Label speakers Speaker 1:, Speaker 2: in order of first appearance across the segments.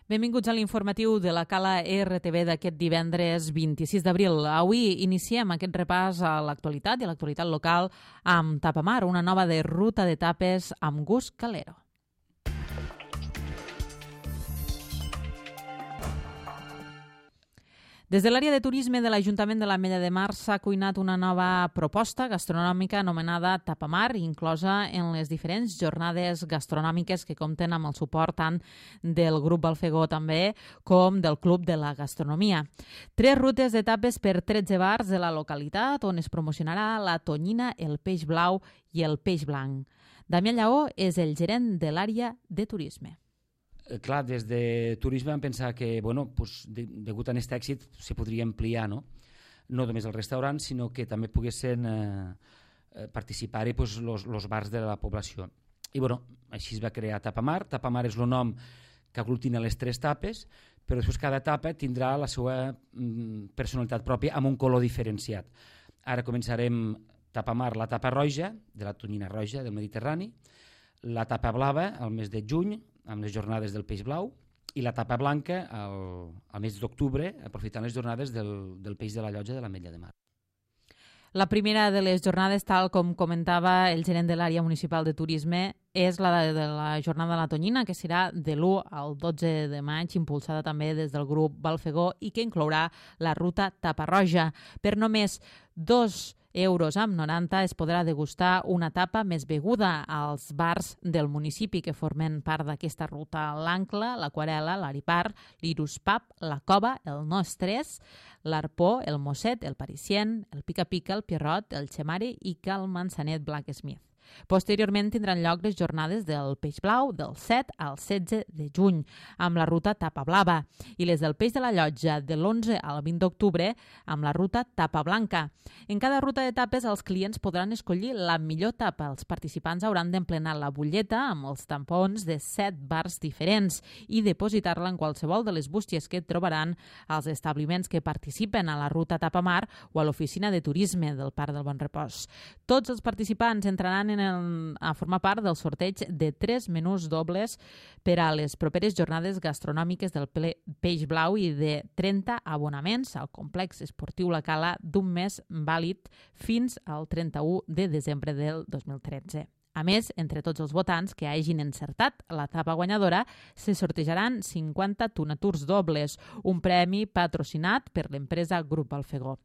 Speaker 1: Benvinguts a l'informatiu de la Cala RTV d'aquest divendres 26 d'abril. Avui iniciem aquest repàs a l'actualitat i a l'actualitat local amb Tapamar, una nova de ruta d'etapes amb gust calero. Des de l'àrea de turisme de l'Ajuntament de l'Ametlla de Mar s'ha cuinat una nova proposta gastronòmica anomenada Tapamar, inclosa en les diferents jornades gastronòmiques que compten amb el suport tant del grup Balfegó també com del Club de la Gastronomia. 3 rutes d'etapes per 13 bars de la localitat on es promocionarà la tonyina, el peix blau i el peix blanc. Damià Lleó és el gerent de l'àrea de turisme.
Speaker 2: Clar, des de turisme vam pensar que, degut a aquest èxit, se podria ampliar, no només el restaurant, sinó que també poguessin participar-hi els bars de la població. I així es va crear Tapamar. Tapamar és el nom que aglutina les 3 tapes, però després cada etapa tindrà la seva personalitat pròpia amb un color diferenciat. Ara començarem Tapamar, la tapa roja, de la tonyina roja del Mediterrani, la tapa blava al mes de juny, amb les jornades del peix blau, i la tapa blanca al mes d'octubre, aprofitant les jornades del peix de la Llotja de l'Ametlla de Mar.
Speaker 1: La primera de les jornades, tal com comentava el gerent de l'àrea municipal de turisme, és la de la jornada de la tonyina, que serà de l'1 al 12 de maig, impulsada també des del grup Balfegó i que inclourà la ruta Tapa Roja. Per només 2,90 € es podrà degustar una tapa més beguda als bars del municipi que formen part d'aquesta ruta: l'Ancla, l'Aquarela, l'Aripar, l'Irus Pub, la Cova, el No Estrès, l'Arpó, el Mosset, el Parisien, el Pica-Pica, el Pierrot, el Xemari i que el Manzanet Blacksmith. Posteriorment tindran lloc les jornades del peix blau del 7 al 16 de juny, amb la ruta Tapa Blava, i les del peix de la Llotja de l'11 al 20 d'octubre amb la ruta Tapa Blanca. En cada ruta d'etapes els clients podran escollir la millor tapa. Els participants hauran d'emplenar la butlleta amb els tampons de 7 bars diferents i depositar-la en qualsevol de les bústies que trobaran als establiments que participen a la ruta Tapamar o a l'oficina de turisme del Parc del Bon Repòs. Tots els participants entraran a formar part del sorteig de 3 menús dobles per a les properes jornades gastronòmiques del peix blau i de 30 abonaments al complex esportiu La Cala d'un mes vàlid fins al 31 de desembre del 2013. A més, entre tots els votants que hagin encertat la tapa guanyadora, se sortejaran 50 tonaturs dobles, un premi patrocinat per l'empresa Grup Balfegó.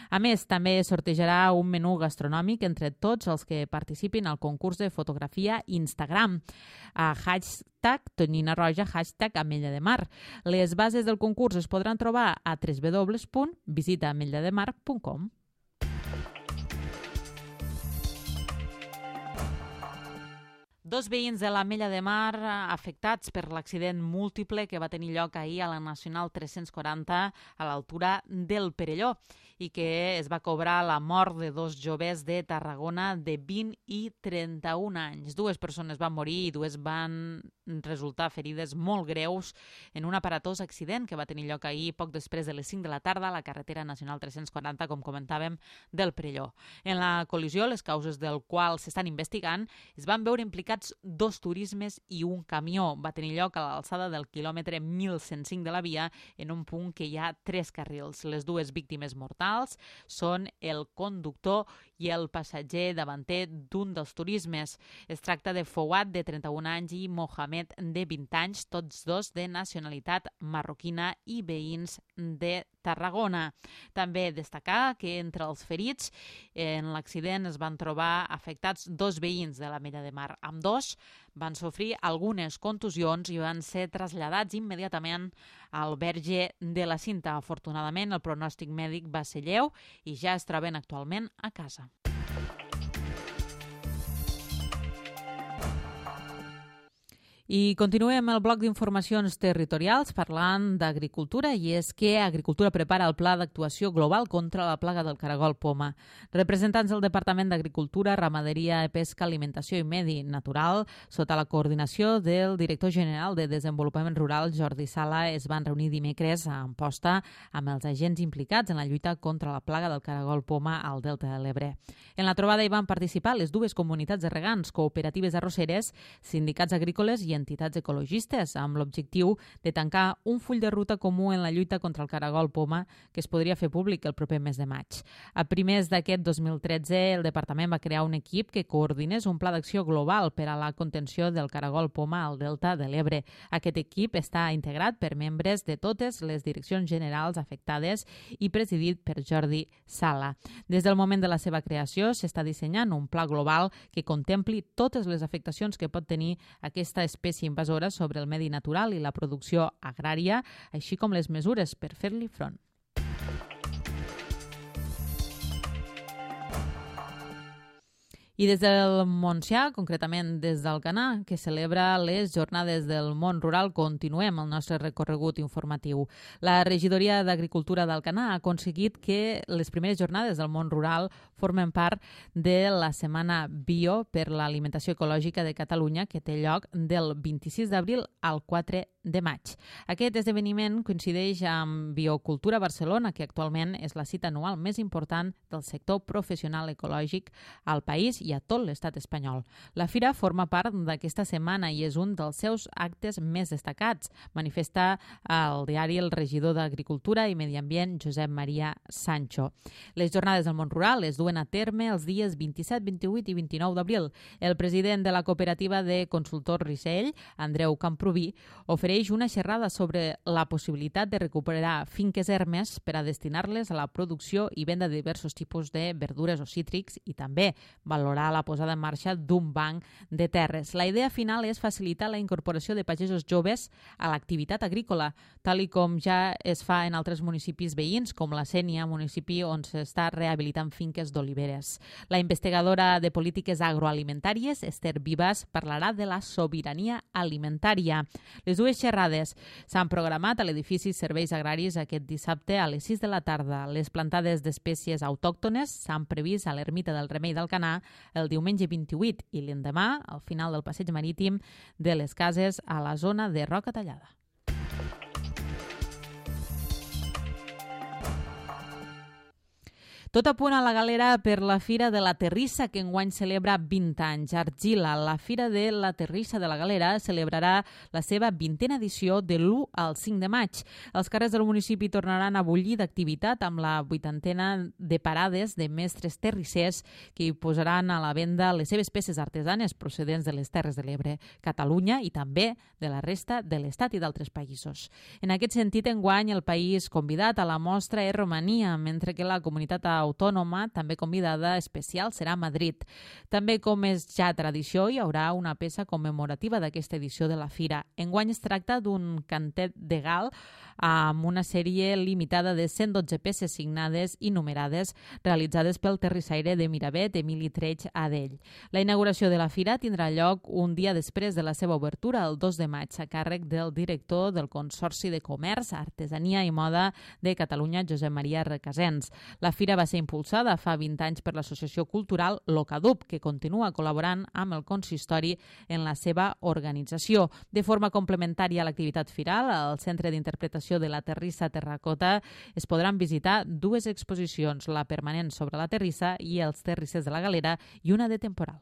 Speaker 1: A més, també sortejarà un menú gastronòmic entre tots els que participin al concurs de fotografia Instagram a #tonyinaroja, #Ametlla de Mar. Les bases del concurs es podran trobar a www.visitaametllademar.com. 2 veïns de l'Ametlla de Mar afectats per l'accident múltiple que va tenir lloc ahir a la Nacional 340 a l'altura del Perelló i que es va cobrar la mort de 2 joves de Tarragona de 20 i 31 anys. 2 persones van morir i 2 van resultar ferides molt greus en un aparatós accident que va tenir lloc ahir poc després de les 5 de la tarda a la carretera Nacional 340, com comentàvem, del Perelló. En la col·lisió, les causes del qual s'estan investigant, es van veure implicats 2 turismes i un camió. Va tenir lloc a l'alçada del quilòmetre 1105 de la via en un punt que hi ha 3 carrils. Les 2 víctimes mortals són el conductor i el passatger davanter d'un dels turismes. Es tracta de Fouad, de 31 anys, i Mohamed, de 20 anys, tots 2 de nacionalitat marroquina i veïns de Tarragona. També destacar que entre els ferits en l'accident es van trobar afectats 2 veïns de l'Ametlla de Mar. Ambdós van sofrir algunes contusions i van ser traslladats immediatament al Verge de la Cinta. Afortunadament, el pronòstic mèdic va ser lleu i ja es troben actualment a casa. I continuem el bloc d'informacions territorials parlant d'agricultura, i és que Agricultura prepara el pla d'actuació global contra la plaga del caragol poma. Representants del Departament d'Agricultura, Ramaderia, Pesca, Alimentació i Medi Natural, sota la coordinació del director general de Desenvolupament Rural, Jordi Sala, es van reunir dimecres a Amposta amb els agents implicats en la lluita contra la plaga del caragol poma al Delta de l'Ebre. En la trobada hi van participar les 2 comunitats de regants, cooperatives arrosseres, sindicats agrícoles i entitats ecologistes, amb l'objectiu de tancar un full de ruta comú en la lluita contra el caragol poma que es podria fer públic el proper mes de maig. A primers d'aquest 2013, el departament va crear un equip que coordinés un pla d'acció global per a la contenció del caragol poma al Delta de l'Ebre. Aquest equip està integrat per membres de totes les direccions generals afectades i presidit per Jordi Sala. Des del moment de la seva creació s'està dissenyant un pla global que contempli totes les afectacions que pot tenir aquesta espècie invasora sobre el medi natural i la producció agrària, així com les mesures per fer-li front. I des del Montsià, concretament des d'Alcanar, que celebra les Jornades del Món Rural, continuem el nostre recorregut informatiu. La Regidoria d'Agricultura d'Alcanar ha aconseguit que les primeres Jornades del Món Rural formen part de la Setmana Bio per l'Alimentació Ecològica de Catalunya, que té lloc del 26 d'abril al 4 de maig. Aquest esdeveniment coincideix amb Biocultura Barcelona, que actualment és la cita anual més important del sector professional ecològic al país i a tot l'estat espanyol. La fira forma part d'aquesta setmana i és un dels seus actes més destacats, manifesta al diari el regidor d'Agricultura i Medi Ambient, Josep Maria Sancho. Les Jornades del Món Rural es duen a terme els dies 27, 28 i 29 d'abril. El president de la cooperativa de consultors Risell, Andreu Camproví, ofereix una xerrada sobre la possibilitat de recuperar finques ermes per a destinar-les a la producció i venda de diversos tipus de verdures o cítrics i també valorar la posada en marxa d'un banc de terres. La idea final és facilitar la incorporació de pagesos joves a l'activitat agrícola, tal i com ja es fa en altres municipis veïns, com la Sénia, municipi on s'està rehabilitant finques d'oliveres. La investigadora de polítiques agroalimentàries, Esther Vivas, parlarà de la sobirania alimentària. Les dues xerrades s'han programat a l'edifici Serveis Agraris aquest dissabte a les 6 de la tarda. Les plantades d'espècies autòctones s'han previst a l'Ermita del Remei d'Alcanar el diumenge 28 i l'endemà al final del passeig marítim de les Cases a la zona de Roca Tallada. Tot a punt a la Galera per la Fira de la Terrissa, que enguany celebra 20 anys. Argila, la Fira de la Terrissa de la Galera, celebrarà la seva 20a edició de l'1 al 5 de maig. Els carrers del municipi tornaran a bullir d'activitat amb la 80a de parades de mestres terrissers que hi posaran a la venda les seves peces artesanes procedents de les Terres de l'Ebre, Catalunya i també de la resta de l'Estat i d'altres països. En aquest sentit, enguany, el país convidat a la mostra és Romania, mentre que la comunitat autònoma, també convidada especial, serà Madrid. També, com és ja tradició, hi haurà una peça commemorativa d'aquesta edició de la fira. Enguany es tracta d'un cantet de gal amb una sèrie limitada de 112 peces signades i numerades realitzades pel terrissaire de Miravet, Emili Treig Adell. La inauguració de la fira tindrà lloc un dia després de la seva obertura, el 2 de maig, a càrrec del director del Consorci de Comerç, Artesania i Moda de Catalunya, Josep Maria Recasens. La fira va ser impulsada fa 20 anys per l'Associació Cultural Locadub, que continua col·laborant amb el consistori en la seva organització. De forma complementària a l'activitat firal, al Centre d'Interpretació de la Terrissa Terracota es podran visitar dues exposicions, la permanent sobre la terrissa i els terrissers de la Galera i una de temporal.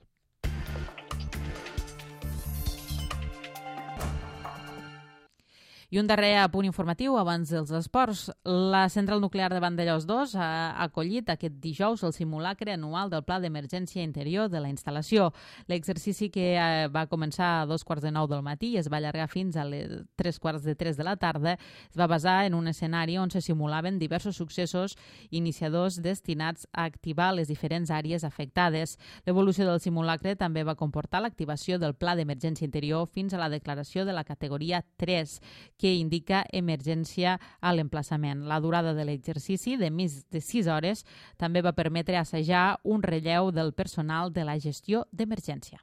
Speaker 1: I un darrer apunt informatiu abans dels esports. La central nuclear de Vandellòs 2 ha acollit aquest dijous el simulacre anual del Pla d'Emergència Interior de la instal·lació. L'exercici, que va començar a 2:45 del matí i es va allargar fins a les 3:45 de la tarda, es va basar en un escenari on se simulaven diversos successos iniciadors destinats a activar les diferents àrees afectades. L'evolució del simulacre també va comportar l'activació del Pla d'Emergència Interior fins a la declaració de la categoria 3, que indica emergència a l'emplaçament. La durada de l'exercici, de més de 6 hores, també va permetre assajar un relleu del personal de la gestió d'emergència.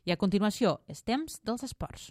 Speaker 1: I a continuació, és temps dels esports.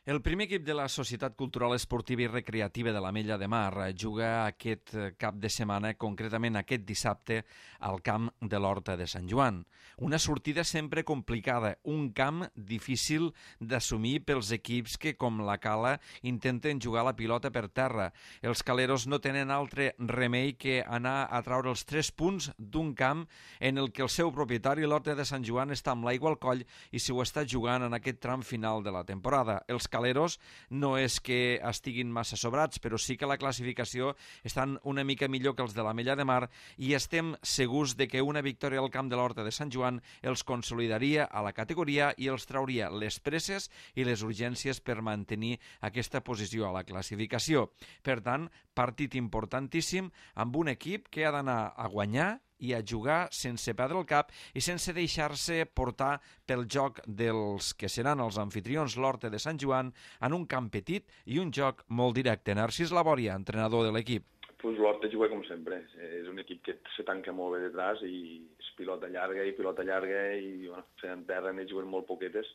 Speaker 3: El primer equip de la Societat Cultural Esportiva i Recreativa de l'Ametlla de Mar juga aquest cap de setmana, concretament aquest dissabte, al camp de l'Horta de Sant Joan. Una sortida sempre complicada, un camp difícil d'assumir pels equips que, com la Cala, intenten jugar la pilota per terra. Els caleros no tenen altre remei que anar a traure els 3 punts d'un camp en el que el seu propietari, l'Horta de Sant Joan, està amb l'aigua al coll i s'ho està jugant en aquest tram final de la temporada. Els caleros no és que estiguin massa sobrats, però sí que la classificació estan una mica millor que els de l'Ametlla de Mar i estem segurs de que una victòria al camp de l'Horta de Sant Joan els consolidaria a la categoria i els trauria les presses i les urgències per mantenir aquesta posició a la classificació. Per tant, partit importantíssim amb un equip que ha d'anar a guanyar i a jugar sense perdre el cap i sense deixar-se portar pel joc dels que seran els anfitrions, l'Horta de Sant Joan, en un camp petit i un joc molt directe. Narcís Labòria, entrenador de l'equip.
Speaker 4: Pues l'Horta juga com sempre. És un equip que se tanca molt bé detrás i és pilota llarga i bueno, en terra n'hi juguen molt poquetes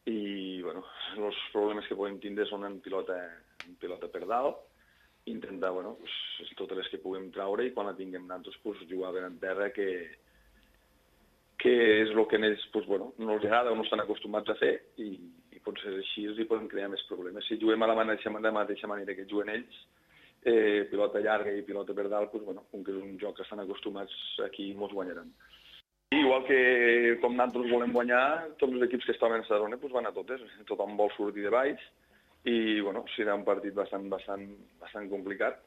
Speaker 4: i bueno, els problemes que podem tindre són en pilota per dalt, intentar, bueno, pues, totes les que puguem traure i quan la tinguem nosaltres, pues, jugar ben en terra, que és el que ells, pues, bueno, no els agrada o no estan acostumats a fer i potser així els hi poden crear més problemes. Si juguem a la mateixa manera que juguen ells, pilota llarga i pilota per dalt, pues, bueno, com que és un joc que estan acostumats, aquí mos guanyaran. Igual que com nosaltres volem guanyar, tots els equips que estaven a Sadrona pues, van a totes, tothom vol sortir de baix, i bueno, serà un partit bastant complicat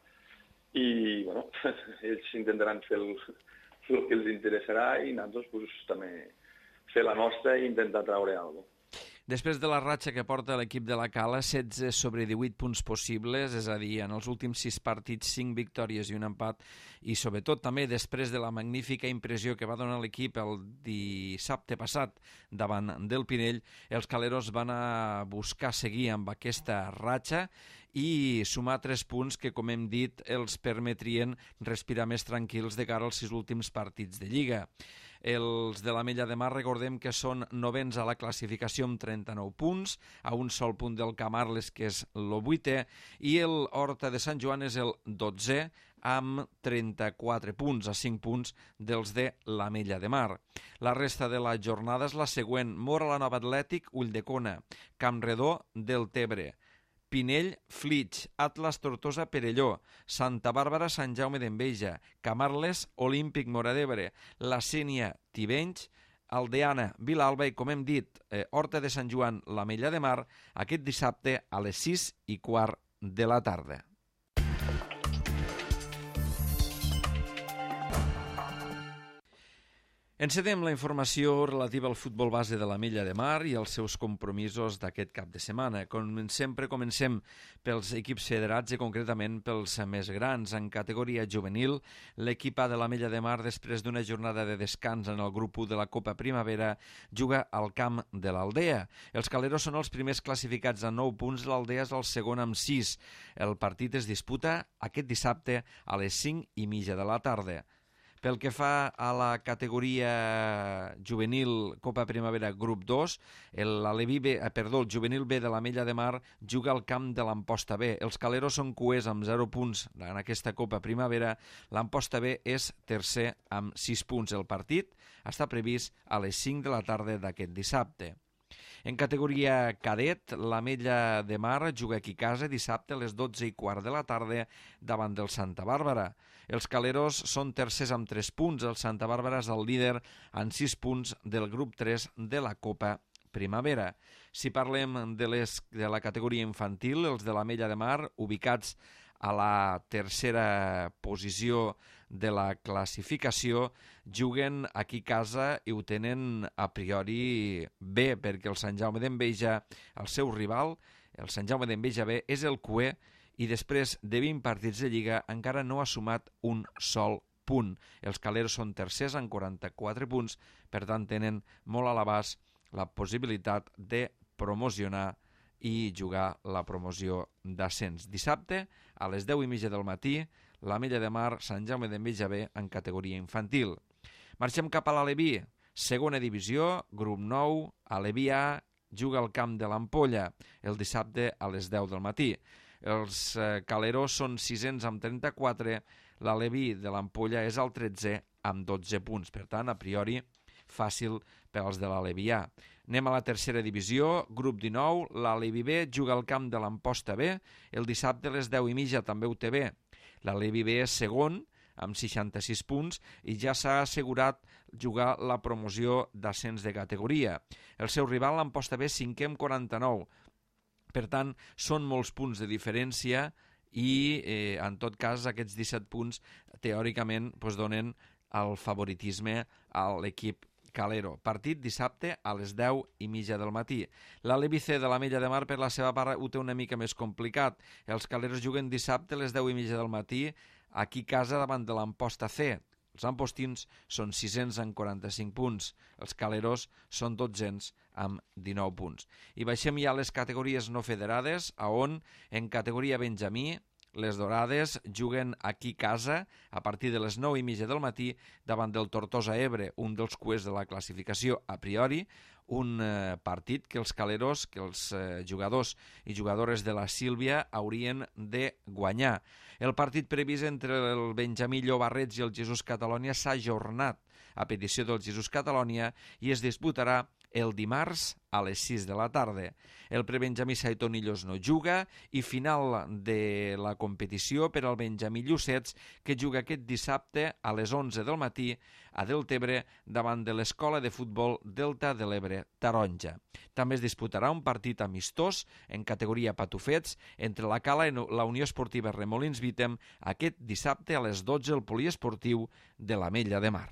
Speaker 4: i bueno, ells intentaran fer el que els interessarà i nosaltres pues, també fer la nostra i intentar traure alguna cosa.
Speaker 3: Després de la ratxa que porta l'equip de la Cala, 16 sobre 18 punts possibles, és a dir, en els últims 6 partits, 5 victòries i un empat, i sobretot també després de la magnífica impressió que va donar l'equip el dissabte passat davant del Pinell, els caleros van a buscar seguir amb aquesta ratxa i sumar 3 punts que, com hem dit, els permetrien respirar més tranquils de cara als 6 últims partits de Lliga. Els de l'Ametlla de Mar, recordem que són novens a la classificació amb 39 punts, a un sol punt del Camarles, que és el 8è, i el Horta de Sant Joan és el 12è, amb 34 punts, a 5 punts dels de l'Ametlla de Mar. La resta de la jornada és la següent: Móra la Nova Atlètic, Ulldecona, Campredó, Deltebre, Pinell, Flix, Atlas, Tortosa, Perelló, Santa Bàrbara, Sant Jaume d'Enveja, Camarles, Olímpic, Móra d'Ebre, La Sénia, Tivenys, Aldeana, Vilalba i, com hem dit, Horta de Sant Joan, l'Ametlla de Mar, aquest dissabte a les 6:15 de la tarda. Encedem la informació relativa al futbol base de l'Ametlla de Mar i els seus compromisos d'aquest cap de setmana. Com sempre, comencem pels equips federats i concretament pels més grans. En categoria juvenil, l'equip A de l'Ametlla de Mar, després d'una jornada de descans en el grup 1 de la Copa Primavera, juga al camp de l'Aldea. Els caleros són els primers classificats amb 9 punts, l'Aldea és el segon amb 6. El partit es disputa aquest dissabte a les 5:30 de la tarda. Pel que fa a la categoria juvenil Copa Primavera grup 2, el juvenil B de l'Ametlla de Mar juga al camp de l'Amposta B. Els caleros són cuers amb 0 punts en aquesta Copa Primavera. L'Amposta B és tercer amb 6 punts. El partit està previst a les 5 de la tarda d'aquest dissabte. En categoria cadet, l'Ametlla de Mar juga aquí a casa dissabte a les 12:15 de la tarda davant del Santa Bàrbara. Els caleros són tercers amb 3 punts. El Santa Bàrbara és el líder amb 6 punts del grup 3 de la Copa Primavera. Si parlem de la categoria infantil, els de l'Ametlla de Mar, ubicats a la tercera posició de la classificació, juguen aquí a casa i ho tenen a priori bé, perquè el Sant Jaume d'Enveja, el seu rival, el Sant Jaume d'Enveja B, és el cuer i després de 20 partits de Lliga encara no ha sumat un sol punt. Els caleros són tercers amb 44 punts, per tant tenen molt a l'abast la possibilitat de promocionar i jugar la promoció d'ascens. Dissabte, a les 10:30 del matí, l'Ametlla de Mar, Sant Jaume d'Enveja B en categoria infantil. Marxem cap a l'Aleví, segona divisió, grup 9, Aleví A, juga al camp de l'Ampolla el dissabte a les 10 del matí. Els Caleros són 600 amb 34, l'Aleví de l'Ampolla és el 13 amb 12 punts. Per tant, a priori, fàcil pels de l'Alevià. Anem a la tercera divisió, grup 19, l'Alevi B juga al camp de l'Amposta B, el dissabte a les 10:30 també ho té bé. L'Alevi B és segon, amb 66 punts, i ja s'ha assegurat jugar la promoció d'ascens de categoria. El seu rival, l'Amposta B, cinquè amb 49. Per tant, són molts punts de diferència i, en tot cas, aquests 17 punts, teòricament, donen el favoritisme a l'equip Calero. Partit dissabte a les 10:30 del matí. L'Alevi C de l'Ametlla de Mar, per la seva part, ho té una mica més complicat. Els Caleros juguen dissabte a les 10:30 del matí aquí a casa davant de l'Amposta C. Els ampostins són 600 amb 45 punts. Els Caleros són 1200 amb 19 punts. I baixem ja a les categories no federades, on en categoria Benjamí les Dorades juguen aquí a casa a partir de les 9:30 del matí davant del Tortosa Ebre, un dels cuers de la classificació a priori, un partit que els Caleros, que els jugadors i jugadores de la Sílvia haurien de guanyar. El partit previst entre el Benjamí Llobarrets i el Jesús Catalònia s'ha ajornat a petició del Jesús Catalònia i es disputarà el dimarts a les 6 de la tarda. El prebenjamí Saitonillos no juga i final de la competició per al Benjamí Llucets, que juga aquest dissabte a les 11 del matí a Deltebre davant de l'Escola de Futbol Delta de l'Ebre Taronja. També es disputarà un partit amistós en categoria patufets entre la Cala i la Unió Esportiva Remolins Vítem aquest dissabte a les 12 al poliesportiu de l'Ametlla de Mar.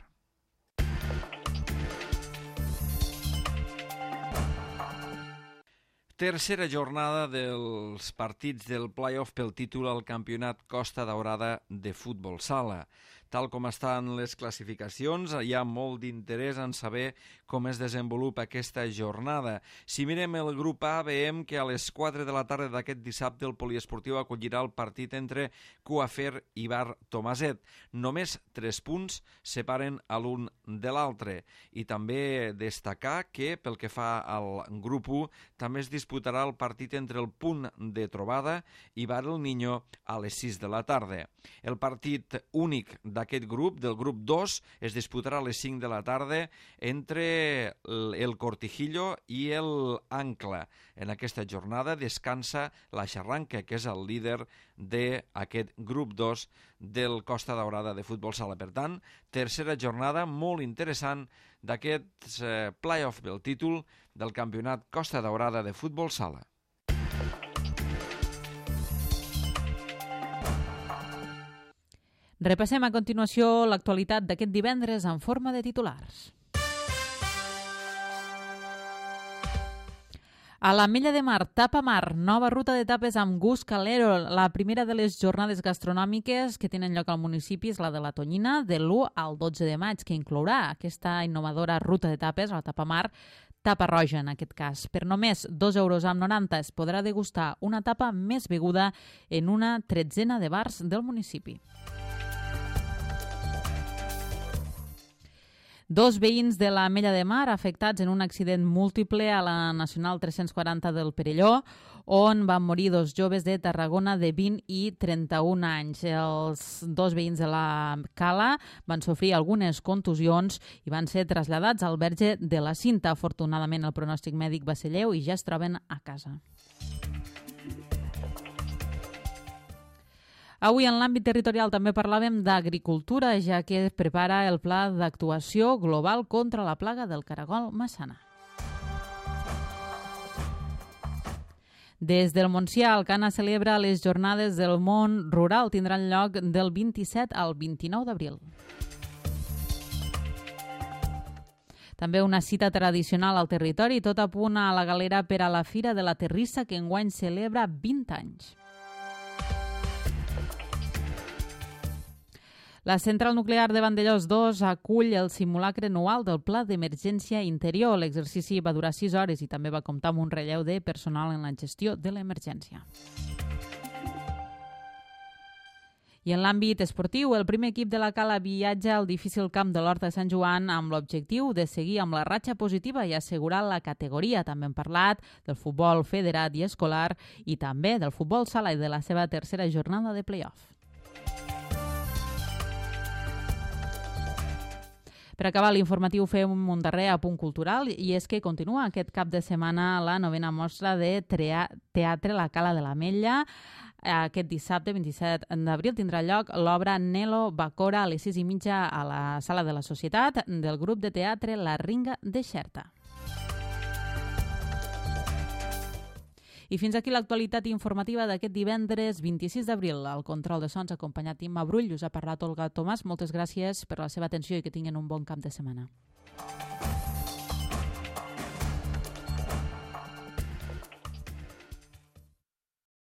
Speaker 3: Tercera jornada dels partits del play-off pel títol al campionat Costa Daurada de futbol sala. Tal com estan les classificacions, hi ha molt d'interès en saber com es desenvolupa aquesta jornada. Si mirem el grup A, veiem que a les 4 de la tarda d'aquest dissabte el poliesportiu acollirà el partit entre Coafer i Bar Tomaset. Només 3 punts separen a l'un de l'altre. I també destacar que, pel que fa al grup 1, també es disputarà el partit entre el Punt de Trobada i Bar El Niño a les 6 de la tarda. El partit únic d'aquest grup, del grup 2, es disputarà a les 5 de la tarda entre el Cortijillo i el Ancla. En aquesta jornada descansa la Xarranca, que és el líder d'aquest grup 2 del Costa Daurada de futbol sala. Per tant, tercera jornada molt interessant d'aquest play-off del títol del campionat Costa Daurada de futbol sala.
Speaker 1: Repassem a continuació l'actualitat d'aquest divendres en forma de titulars. A l'Ametlla de Mar, Tapa Mar, nova ruta de tapes amb gust calero. La primera de les jornades gastronòmiques que tenen lloc al municipi és la de la Tonyina, de l'1 al 12 de maig, que inclourà aquesta innovadora ruta de tapes, la Tapa Mar, tapa roja en aquest cas. Per només 2,90 € es podrà degustar una tapa més beguda en una 13ena de bars del municipi. Dos veïns de l'Ametlla de Mar afectats en un accident múltiple a la Nacional 340 del Perelló, on van morir dos joves de Tarragona de 20 i 31 anys. Els dos veïns de la Cala van sofrir algunes contusions i van ser traslladats al Verge de la Cinta. Afortunadament, el pronòstic mèdic va ser lleu i ja es troben a casa. Avui en l'àmbit territorial també parlàvem d'agricultura, ja que prepara el pla d'actuació global contra la plaga del caragol massana. Des del Montsià, Alcana celebra les jornades del món rural. Tindran lloc del 27 al 29 d'abril. També una cita tradicional al territori, tot a punt a la Galera per a la Fira de la Terrissa, que enguany celebra 20 anys. La central nuclear de Vandellòs 2 acull el simulacre anual del Pla d'Emergència Interior. L'exercici va durar 6 hores i també va comptar amb un relleu de personal en la gestió de l'emergència. I en l'àmbit esportiu, el primer equip de la Cala viatja al difícil camp de l'Horta de Sant Joan amb l'objectiu de seguir amb la ratxa positiva i assegurar la categoria. També hem parlat del futbol federat i escolar i també del futbol sala i de la seva tercera jornada de play-off. Per acabar l'informatiu fem un darrer apunt cultural i és que continua aquest cap de setmana la 9ª mostra de teatre La Cala de l'Ametlla. Aquest dissabte, 27 d'abril, tindrà lloc l'obra Nelo Bacora a les 6:30 a la Sala de la Societat del grup de teatre La Ringa de Xerta. I fins aquí l'actualitat informativa d'aquest divendres 26 d'abril. Al control de sons acompanyat Imma Brull, us ha parlat Olga Tomàs. Moltes gràcies per la seva atenció i que tinguin un bon cap de setmana.